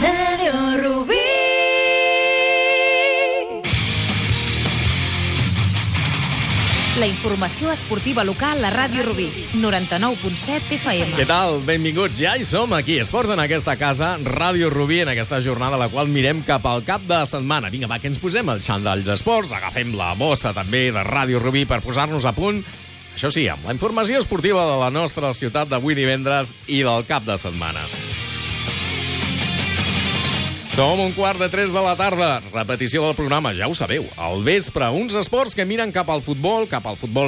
Radio Rubí. La informació esportiva local a Ràdio Rubí, 99.7 FM. Què tal? Benvinguts. Ja hi som aquí, Esports en aquesta casa, Ràdio Rubí, en aquesta jornada a la qual mirem cap al cap de setmana. Vinga, va, que ens posem el xandall d'esports, agafem la bossa també de Ràdio Rubí per posar-nos a punt, això sí, amb la informació esportiva de la nostra ciutat d'avui divendres i del cap de setmana. Som 2:45 de la tarda, repetició del programa, ja ho sabeu, al vespre, uns esports que miren cap al futbol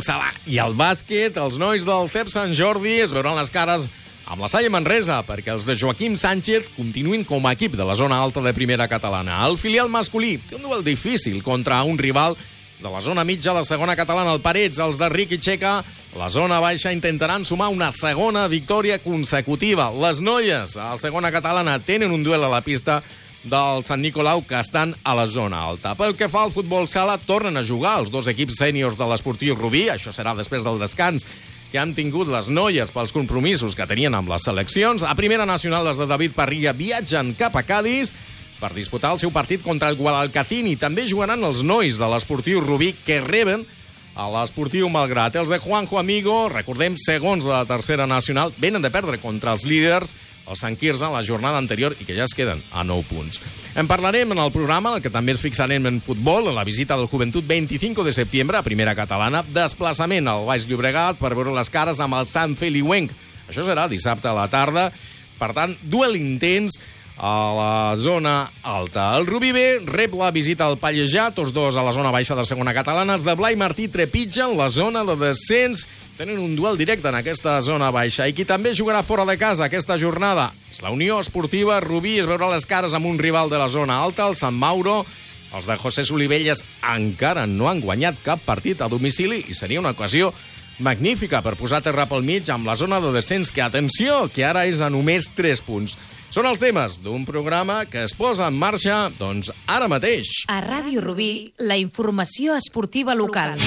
sala i al bàsquet. Els nois del CEP Sant Jordi es veuran les cares amb la Salle Manresa, perquè els de Joaquim Sánchez continuïn com a equip de la zona alta de primera catalana. El filial masculí té un duel difícil contra un rival de la zona mitja de segona catalana, el Parets. Els de Riqui Checa, la zona baixa, intentaran sumar una segona victòria consecutiva. Les noies a la segona catalana tenen un duel a la pista del Sant Nicolau, que estan a la zona alta. Pel que fa al futbol sala, tornen a jugar els dos equips sèniors de l'Esportiu Rubí. Això serà després del descans que han tingut les noies pels compromisos que tenien amb les seleccions. A Primera Nacional, les de David Parrilla viatgen cap a Cádiz per disputar el seu partit contra el Guadalcacín, i també jugaran els nois de l'Esportiu Rubí, que reben a l'Esportiu Malgrat. Els de Juanjo Amigo, recordem, segons de la Tercera Nacional, venen de perdre contra els líders, el Sant Quirze, en la jornada anterior, i que ja es queden a 9 punts. En parlarem en el programa, en el que també ens fixarem en futbol, en la visita del Joventut 25 de setembre a Primera Catalana, desplaçament al Baix Llobregat per veure les cares amb el Sant Feliuenc. Això serà dissabte a la tarda, per tant, duel intens a la zona alta. El Rubí B rep la visita al Pallejà, tots dos a la zona baixa de segona catalana. Els de Blai Martí trepitgen la zona de descens, tenen un duel directe en aquesta zona baixa. I qui també jugarà fora de casa aquesta jornada és la Unió Esportiva Rubí. Es veurà les cares amb un rival de la zona alta, el Sant Mauro. Els de José Solivelles encara no han guanyat cap partit a domicili i seria una ocasió magnífica per posar terra pel mig amb la zona de descens, que, atenció, que ara és a només 3 punts. Són els temes d'un programa que es posa en marxa, doncs, ara mateix. A Ràdio Rubí, la informació esportiva local.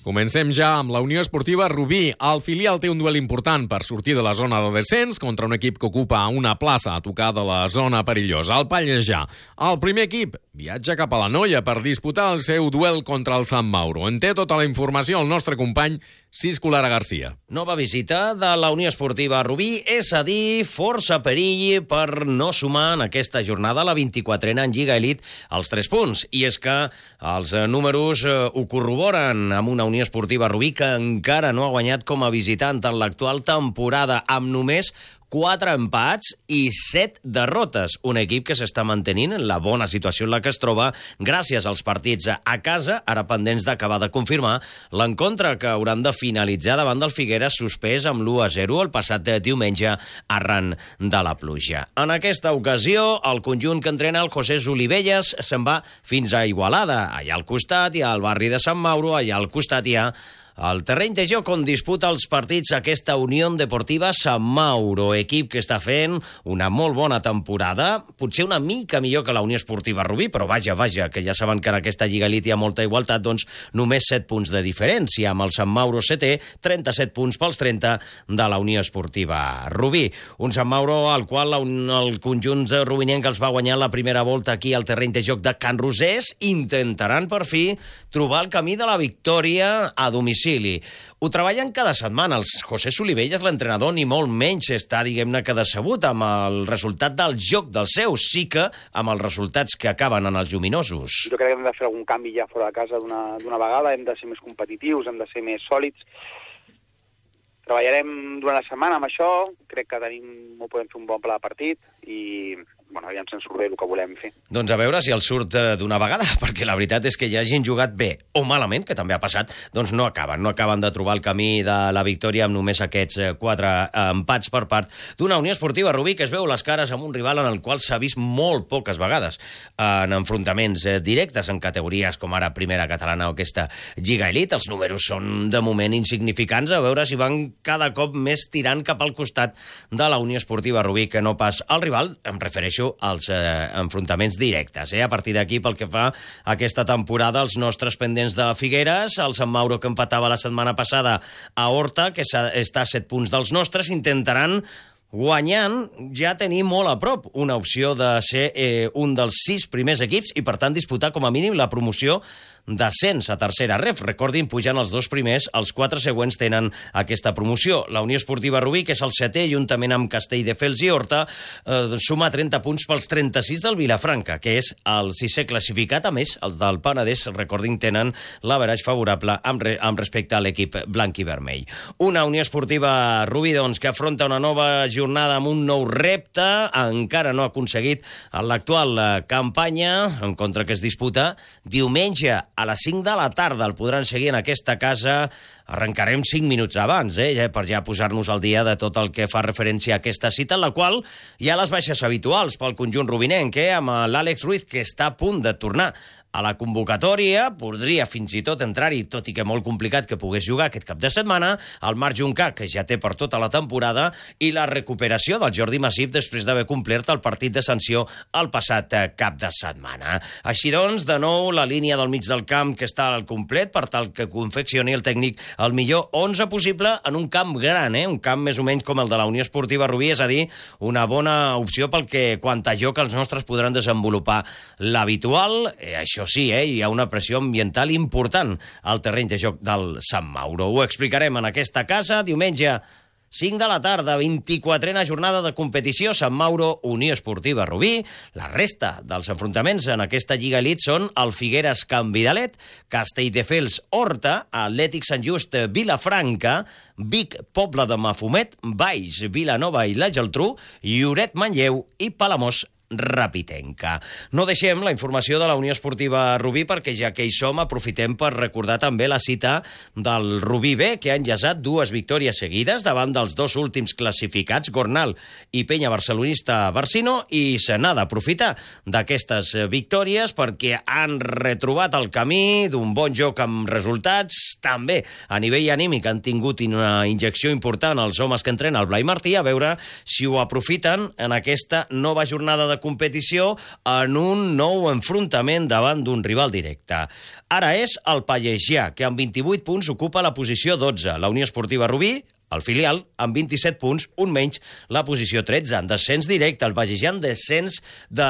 Comencem ja amb la Unió Esportiva Rubí. El filial té un duel important per sortir de la zona de descens contra un equip que ocupa una plaça a tocar de la zona perillosa, el Pallejà. El primer equip viatja cap a la Noia per disputar el seu duel contra el Sant Mauro. En té tota la informació el nostre company Cisco Lara Garcia. Nova visita de la Unió Esportiva Rubí, és a dir, força perill per no sumar en aquesta jornada la 24a en Lliga Elite els 3 punts. I és que els números ho corroboren amb una Unió Esportiva Rubí que encara no ha guanyat com a visitant en l'actual temporada, amb només 4 empats i 7 derrotes. Un equip que s'està mantenint en la bona situació en la que es troba gràcies als partits a casa, ara pendents d'acabar de confirmar l'encontre que hauran de finalitzar davant del Figueres, suspès amb l'1-0 el passat diumenge arran de la pluja. En aquesta ocasió, el conjunt que entrena el José Solivelles se'n va fins a Igualada. Allà al costat hi ha el barri de Sant Mauro, allà al costat hi ha el terreny de joc on disputa els partits aquesta Unió Deportiva Sant Mauro, equip que està fent una molt bona temporada, potser una mica millor que la Unió Esportiva Rubí, però vaja, que ja saben que en aquesta Lliga Elite hi ha molta igualtat, doncs només 7 punts de diferència, amb el Sant Mauro setè, 37 punts pels 30 de la Unió Esportiva Rubí. Un Sant Mauro al qual el conjunt rubinenc els va guanyar la primera volta aquí al terreny de joc de Can Rosés, intentaran per fi trobar el camí de la victòria a domicili. Ho treballen cada setmana. El José Solivelles, l'entrenador, ni molt menys està, diguem-ne, que decebut amb el resultat del joc dels seus, sí que amb els resultats que acaben en els lluminosos. Jo crec que hem de fer algun canvi ja fora de casa d'una vegada, hem de ser més competitius, hem de ser més sòlids. Treballarem durant la setmana amb això, crec que podem fer un bon pla de partit i aviam si ens surt bé el que volem fer. Doncs a veure si el surt d'una vegada, perquè la veritat és que ja hagin jugat bé o malament, que també ha passat, doncs no acaben de trobar el camí de la victòria amb només aquests 4 empats per part d'una Unió Esportiva Rubí que es veu les cares amb un rival en el qual s'ha vist molt poques vegades en enfrontaments directes en categories com ara Primera Catalana o aquesta Lliga Elite. Els números són de moment insignificants, a veure si van cada cop més tirant cap al costat de la Unió Esportiva Rubí que no pas al rival. Em refereixo als enfrontaments directes. A partir d'aquí, pel que fa a aquesta temporada, els nostres pendents de Figueres, el Sant Mauro que empatava la setmana passada a Horta, que està a 7 punts dels nostres, intentaran guanyant ja tenim molt a prop una opció de ser un dels 6 primers equips i, per tant, disputar com a mínim la promoció d'ascens a tercera ref. Recordin, pujant els 2 primers, els 4 següents tenen aquesta promoció. La Unió Esportiva Rubí, que és el 7è, juntament amb Castelldefels i Horta, suma 30 punts pels 36 del Vilafranca, que és el 6è classificat. A més, els del Penedès, recordin, tenen l'average favorable amb respecte a l'equip blanc i vermell. Una Unió Esportiva Rubí, doncs, que afronta una nova jornada amb un nou repte, encara no ha aconseguit en l'actual campanya, en contra que es disputa diumenge a les 5 de la tarda. El podran seguir en aquesta casa. Arrencarem 5 minuts abans, per ja posar-nos al dia de tot el que fa referència a aquesta cita, en la qual hi ha les baixes habituals pel conjunt rubinenc, amb l'Àlex Ruiz, que està a punt de tornar a la convocatòria, podria fins i tot entrar-hi, tot i que molt complicat que pogués jugar aquest cap de setmana, el Marc Juncà, que ja té per tota la temporada, i la recuperació del Jordi Masip després d'haver complert el partit de sanció el passat cap de setmana. Així doncs, de nou, la línia del mig del camp que està al complet per tal que confeccioni el tècnic el millor 11 possible en un camp gran, un camp més o menys com el de la Unió Esportiva Rubí, és a dir, una bona opció pel que quant a joc els nostres podran desenvolupar l'habitual. Això sí, hi ha una pressió ambiental important al terreny de joc del Sant Mauro. Ho explicarem en aquesta casa. Diumenge, 5 de la tarda, 24a jornada de competició, Sant Mauro, Unió Esportiva Rubí. La resta dels enfrontaments en aquesta Lliga Elite són el Figueres Can Vidalet, Castelldefels Horta, Atlètic Sant Just Vilafranca, Vic Pobla de Mafumet, Valls, Vilanova i la Geltrú, Lloret Manlleu i Palamós Rapitenca. No deixem la informació de la Unió Esportiva Rubí perquè ja que hi som aprofitem per recordar també la cita del Rubí B, que ha enllaçat 2 victòries seguides davant dels 2 últims classificats, Gornal i Penya Barcelonista Barcino, i se n'ha d'aprofitar d'aquestes victòries perquè han retrobat el camí d'un bon joc amb resultats. També a nivell anímic han tingut una injecció important els homes que entrenen el Blai Martí, a veure si ho aprofiten en aquesta nova jornada de competició en un nou enfrontament davant d'un rival directe. Ara és el Pallegià, que amb 28 punts ocupa la posició 12. La Unió Esportiva Rubí, el filial, amb 27 punts, un menys, la posició 13, en descens directe. El Pallegià en descens de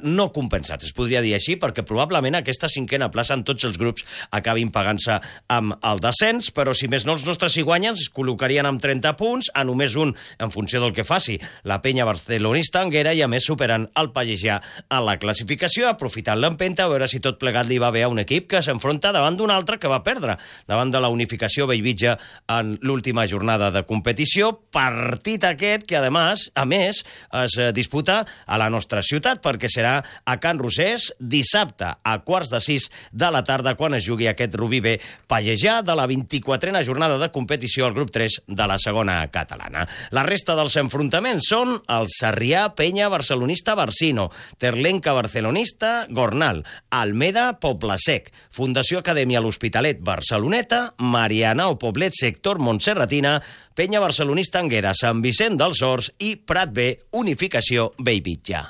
no compensats, es podria dir així, perquè probablement aquesta 5a plaça en tots els grups acabin pagant-se amb el descens, però si més no els nostres si guanyen es col·locarien amb 30 punts, a només un en funció del que faci la Penya Barcelonista Anguera, i a més superant el Pallegià a la classificació, aprofitant l'empenta, a veure si tot plegat li va bé a un equip que s'enfronta davant d'un altre que va perdre, davant de la unificació Bellvitge en l'última jornada de competició, partit aquest que, a més, es disputa a la nostra ciutat, perquè serà a Can Rosés dissabte a 5:15 de la tarda, quan es jugui aquest Rubí B Pallegià de la 24a jornada de competició al grup 3 de la segona catalana. La resta dels enfrontaments són el Sarrià Penya Barcelonista Barcino, Terlenca Barcelonista Gornal, Almeda Poblesec, Fundació Acadèmia L'Hospitalet Barceloneta, Marianao Poblet Sector Montserratina, Penya Barcelonista Anguera, Sant Vicent dels Horts i Prat B, Unificació Bellvitge.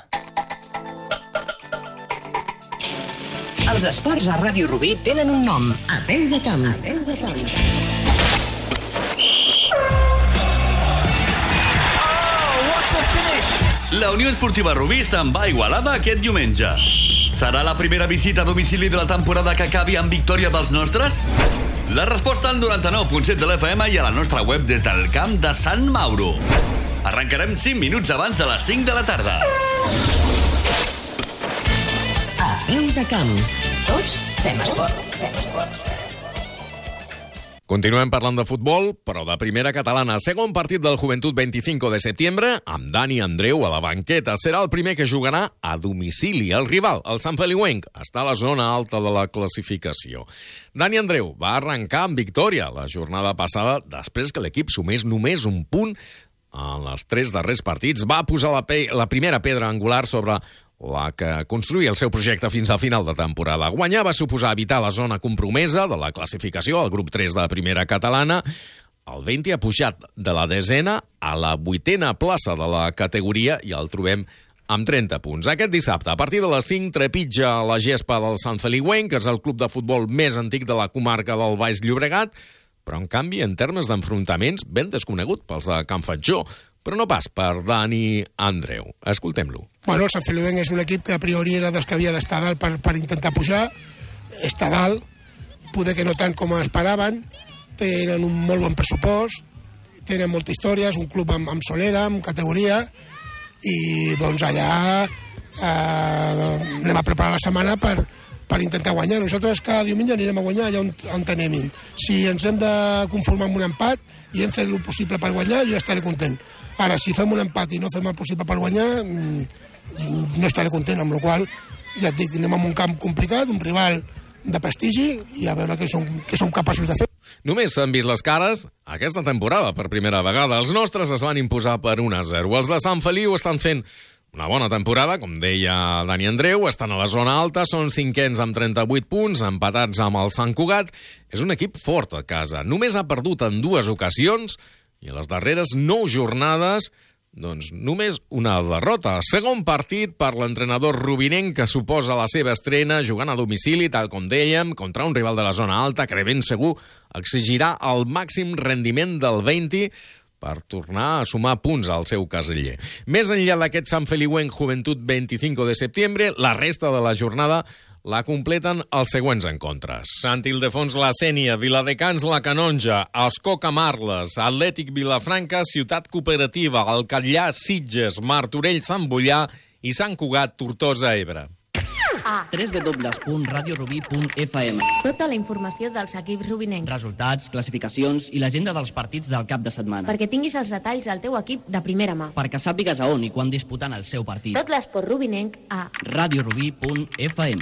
Els esports a Ràdio Rubí tenen un nom: A Peu de Camp. La Unió Esportiva Rubí se'n va a Igualada aquest diumenge. Serà la primera visita a domicili de la temporada que acabi amb victòria dels nostres? La resposta al 99.7 de l'FM i a la nostra web des del camp de Sant Mauro. Arrencarem 5 minuts abans de les 5 de la tarda. A Peu de Camp. Tots fem esport. Continuem parlant de futbol, però de primera catalana. Segon partit del Joventut 25 de setembre, amb Dani Andreu a la banqueta. Serà el primer que jugarà a domicili. El rival, el Sant Feliuenc, està a la zona alta de la classificació. Dani Andreu va arrencar amb victòria la jornada passada, després que l'equip sumés només un punt en els 3 darrers partits. Va posar la primera pedra angular sobre la que construïa el seu projecte fins al final de temporada. Guanyar va suposar evitar la zona compromesa de la classificació al grup 3 de primera catalana. El Venti ha pujat de la 10a a la 8a plaça de la categoria i el trobem amb 30 punts. Aquest dissabte, a partir de les 5, trepitja la gespa del Sant Feliuenc, que és el club de futbol més antic de la comarca del Baix Llobregat, però en canvi, en termes d'enfrontaments, ben desconegut pels de Can Fatjó. però no pas per Dani Andreu. Escoltem-lo. Bueno, el Sant Feliuenc és un equip que a priori era dels que havia d'estar dalt per intentar pujar, està dalt, poder que no tant com esperaven, tenen un molt bon pressupost, tenen molta història, és un club amb solera, amb categoria, i doncs allà anem a preparar la setmana per intentar guanyar. Nosaltres cada diumenge anirem a guanyar allà on anem. Si ens hem de conformar amb un empat i hem fet el possible per guanyar, jo estaré content. Ara, si fem un empat i no fem el possible per guanyar, no estaré content, amb la qual cosa, ja et dic, anem a un camp complicat, un rival de prestigi, i a veure què som capaços de fer. Només s'han vist les cares aquesta temporada per primera vegada. Els nostres es van imposar per 1-0. Els de Sant Feliu estan fent una bona temporada, com deia Dani Andreu, estan a la zona alta, són 5ens amb 38 punts, empatats amb el Sant Cugat. És un equip fort a casa. Només ha perdut en 2 ocasions i a les darreres 9 jornades, doncs només una derrota. Segon partit per l'entrenador rubinenc, que suposa la seva estrena jugant a domicili, tal com dèiem, contra un rival de la zona alta que de ben segur exigirà el màxim rendiment del 20 per tornar a sumar punts al seu casiller. Més enllà d'aquest Sant Feliuenc Joventut 25 de setembre, la resta de la jornada la completen els següents encontres. Sant Ildefons la Sénia, Viladecans la Canonja, Ascó Camarles, Atlètic Vilafranca, Ciutat Cooperativa, el Catllà Sitges, Martorell Sant Boià i Sant Cugat Tortosa Ebre. www.radiorubí.fm. Tota la informació dels equips rubinencs. Resultats, classificacions i l'agenda dels partits del cap de setmana. Perquè tinguis els detalls del teu equip de primera mà. Perquè sàpigues a on i quan disputant el seu partit. Tot l'esport rubinenc a radiorubí.fm.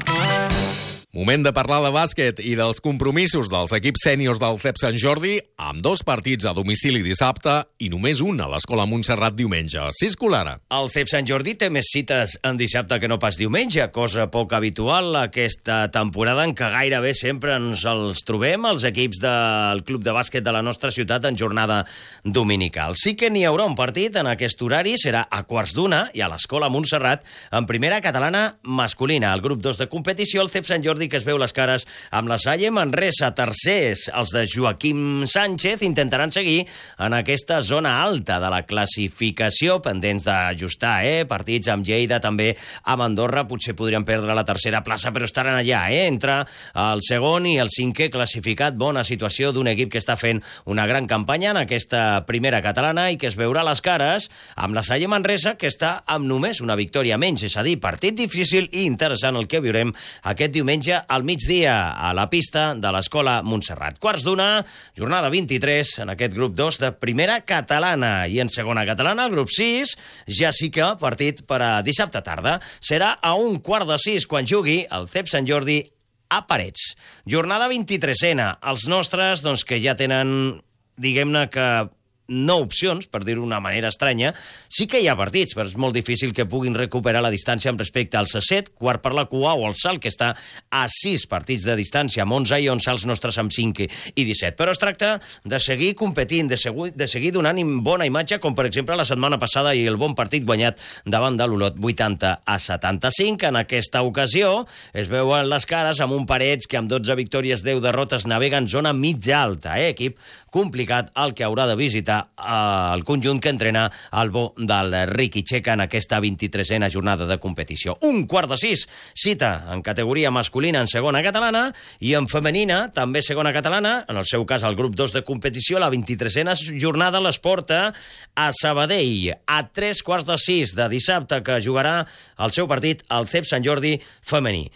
Moment de parlar de bàsquet i dels compromisos dels equips sèniors del CEP Sant Jordi, amb 2 partits a domicili dissabte i només un a l'Escola Montserrat diumenge. Cisco Lara. El CEP Sant Jordi té més cites en dissabte que no pas diumenge, cosa poc habitual aquesta temporada en què gairebé sempre ens els trobem els equips del club de bàsquet de la nostra ciutat en jornada dominical. Sí que n'hi haurà un partit en aquest horari, serà a 12:15 i a l'Escola Montserrat en primera catalana masculina. El grup 2 de competició, el CEP Sant Jordi, que es veu les cares amb la Salle Manresa. Tercers, els de Joaquim Sánchez, intentaran seguir en aquesta zona alta de la classificació, pendents d'ajustar, partits amb Lleida, també amb Andorra, potser podrien perdre la tercera plaça, però estaran allà, entre el segon i el cinquè classificat. Bona situació d'un equip que està fent una gran campanya en aquesta primera catalana i que es veurà les cares amb la Salle Manresa, que està amb només una victòria menys, és a dir, partit difícil i interessant el que viurem aquest diumenge al migdia a la pista de l'Escola Montserrat. 12:15, jornada 23 en aquest grup 2 de primera catalana. I en segona catalana, el grup 6, ja sí que partit per a dissabte tarda. Serà a 5:15 quan jugui el CEP Sant Jordi a Parets. Jornada 23ena. Els nostres, doncs, que ja tenen, diguem-ne que 9 opcions, per dir-ho d'una manera estranya. Sí que hi ha partits, però és molt difícil que puguin recuperar la distància amb respecte al C7, quart per la cua, o el Salt, que està a 6 partits de distància, amb 11 i 11 els nostres amb 5 i 17. Però es tracta de seguir competint, de seguir donant bona imatge, com per exemple la setmana passada i el bon partit guanyat davant de l'Olot 80-75. En aquesta ocasió es veuen les cares amb un Parets que amb 12 victòries, 10 derrotes, navega en zona mitja alta. Equip complicat el que haurà de visitar el conjunt que entrena el bo del Riqui Checa en aquesta 23a jornada de competició. 5:15, cita en categoria masculina en segona catalana i en femenina, també segona catalana, en el seu cas el grup 2 de competició, la 23a jornada les porta a Sabadell a 5:45 de dissabte, que jugarà el seu partit al CEP Sant Jordi femení.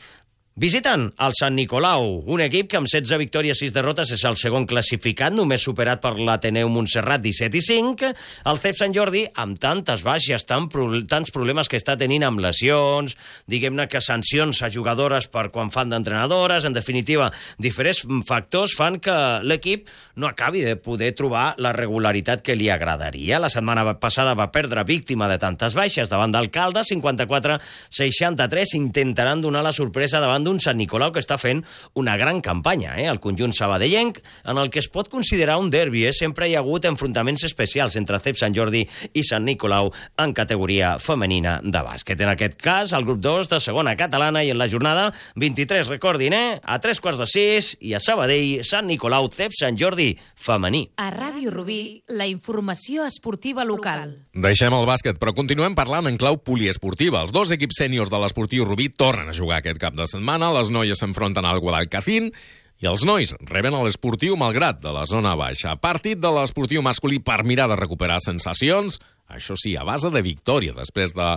Visiten el Sant Nicolau, un equip que amb 16 victòries, 6 derrotes és el segon classificat, només superat per l'Ateneu Montserrat 17-5. El CEP Sant Jordi, amb tantes baixes, tants problemes que està tenint amb lesions, diguem-ne que sancions a jugadores per quan fan d'entrenadores, en definitiva, diferents factors fan que l'equip no acabi de poder trobar la regularitat que li agradaria. La setmana passada va perdre víctima de tantes baixes davant d'Alcalde, 54-63, intentaran donar la sorpresa davant d'un Sant Nicolau que està fent una gran campanya, el conjunt sabadellenc, en el que es pot considerar un derbi. Sempre hi ha hagut enfrontaments especials entre CEP Sant Jordi i Sant Nicolau en categoria femenina de bàsquet. En aquest cas, el grup 2 de segona catalana, i en la jornada 23, recordin, a 3:45, i a Sabadell, Sant Nicolau, CEP Sant Jordi femení. A Ràdio Rubí, la informació esportiva local. Deixem el bàsquet, però continuem parlant en clau poliesportiva. Els dos equips sèniors de l'Esportiu Rubí tornen a jugar aquest cap de setmana. Les noies s'enfronten al Guadalcacín i els nois reben a l'Esportiu Malgrat de la zona baixa. Partit de l'Esportiu masculí per mirar de recuperar sensacions, això sí, a base de victòria, després de,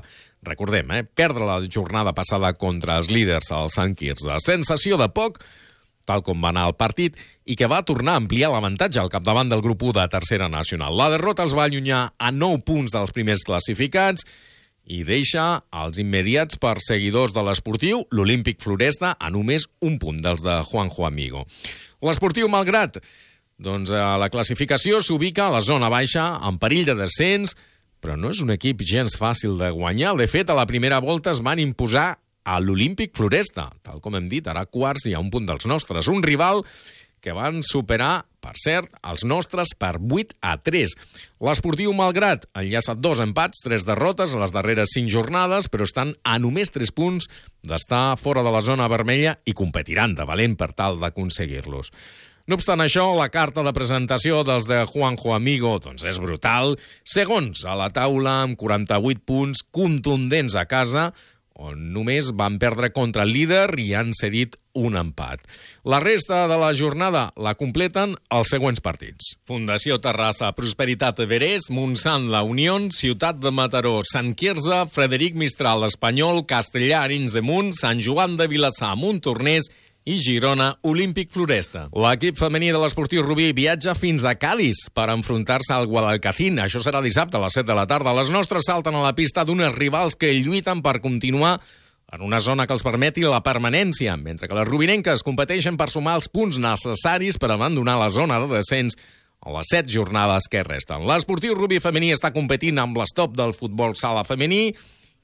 recordem, perdre la jornada passada contra els líders al Sant Quirze. Sensació de poc, tal com va anar el partit, i que va tornar a ampliar l'avantatge al capdavant del grup 1 de tercera nacional. La derrota els va allunyar a 9 punts dels primers classificats i deixa els immediats perseguidors de l'Esportiu, l'Olímpic Floresta, a només un punt dels de Juanjo Amigo. L'Esportiu Malgrat, doncs a la classificació s'ubica a la zona baixa, en perill de descens, però no és un equip gens fàcil de guanyar. De fet, a la primera volta es van imposar a l'Olímpic Floresta. Tal com hem dit, ara quarts i a un punt dels nostres. Un rival que van superar, per cert, els nostres per 8-3. L'Esportiu Malgrat ha enllaçat 2 empats, 3 derrotes a les darreres 5 jornades, però estan a només 3 punts d'estar fora de la zona vermella i competiran de valent per tal d'aconseguir-los. No obstant això, la carta de presentació dels de Juanjo Amigo doncs és brutal. Segons a la taula, amb 48 punts contundents a casa, on només van perdre contra el líder i han cedit un empat. La resta de la jornada la completen els següents partits. Fundació Terrassa, Prosperitat Everest, Montsant La Unió, Ciutat de Mataró, Sant Quirze, Frederic Mistral Espanyol, Castellà Arenys de Munt, Sant Joan de Vilassar, Montornès i Girona, Olímpic Floresta. L'equip femení de l'Esportiu Rubí viatja fins a Cádiz per enfrontar-se al Guadalcacín. Això serà dissabte a les 7 de la tarda. Les nostres salten a la pista d'unes rivals que lluiten per continuar en una zona que els permeti la permanència, mentre que les rubinenques competeixen per sumar els punts necessaris per abandonar la zona de descens a les 7 jornades que resten. L'Esportiu Rubí femení està competint amb l'estop del futbol sala femení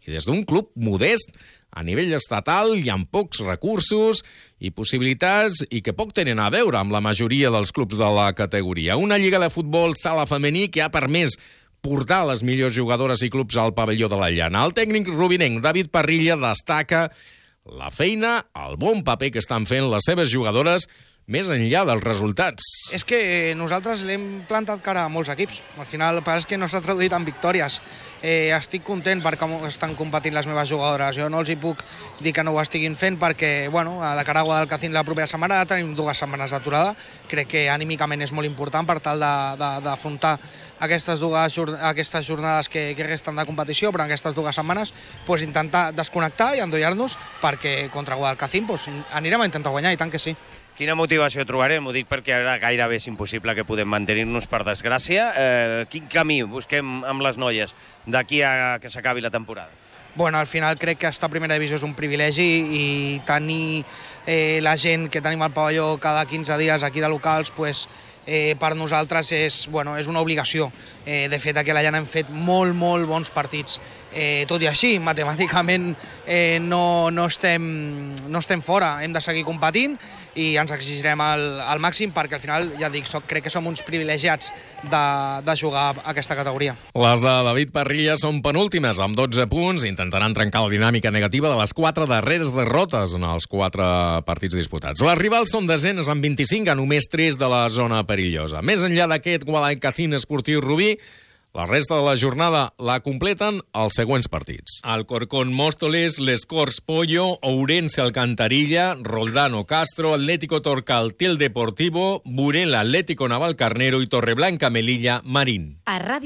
i des d'un club modest a nivell estatal i amb pocs recursos i possibilitats i que poc tenen a veure amb la majoria dels clubs de la categoria. Una lliga de futbol sala femení que ha permès portar les millors jugadores i clubs al pavelló de la Llana. El tècnic rubinenc David Parrilla destaca la feina, el bon paper que estan fent les seves jugadores més enllà dels resultats. És que nosaltres l'hem plantat cara a molts equips. Al final, el que és que no s'ha traduït en victòries. Estic content per com estan competint les meves jugadores. Jo no els hi puc dir que no ho estiguin fent perquè, de cara a Guadalcacín la propera setmana tenim 2 setmanes d'aturada. Crec que anímicament és molt important per tal d'afrontar aquestes jornades que resten de competició, però en aquestes 2 setmanes intentar desconnectar i endollar-nos perquè contra Guadalcacín anirem a intentar guanyar, i tant que sí. Quina motivació trobarem? Ho dic perquè ara gairebé és impossible que podem mantenir-nos, per desgràcia. Quin camí busquem amb les noies d'aquí a que s'acabi la temporada? Al final crec que estar a primera divisió és un privilegi i tenir la gent que tenim al pavelló cada 15 dies aquí de locals, per nosaltres és una obligació. De fet, aquí a la Llana hem fet molt bons partits. Tot i així, matemàticament no estem fora. Hem de seguir competint i ens exigirem al màxim perquè al final, ja dic, crec que som uns privilegiats de jugar a aquesta categoria. Les de David Parrilla són penúltimes, amb 12 punts. Intentaran trencar la dinàmica negativa de les 4 darreres derrotes en els 4 partits disputats. Les rivals són desenes amb 25, a només 3 de la zona perillosa. Més enllà d'aquest Guadalcacín Esportiu Rubí, la resta de la jornada la completen els següents partits. Alcorcón Móstoles, Les Corts Pollo, Ourense Alcantarilla, Roldán Castro, Atlético Torcal Til Deportivo, Burela Atlético Navalcarnero i Torreblanca Melilla Marín. A Ràdio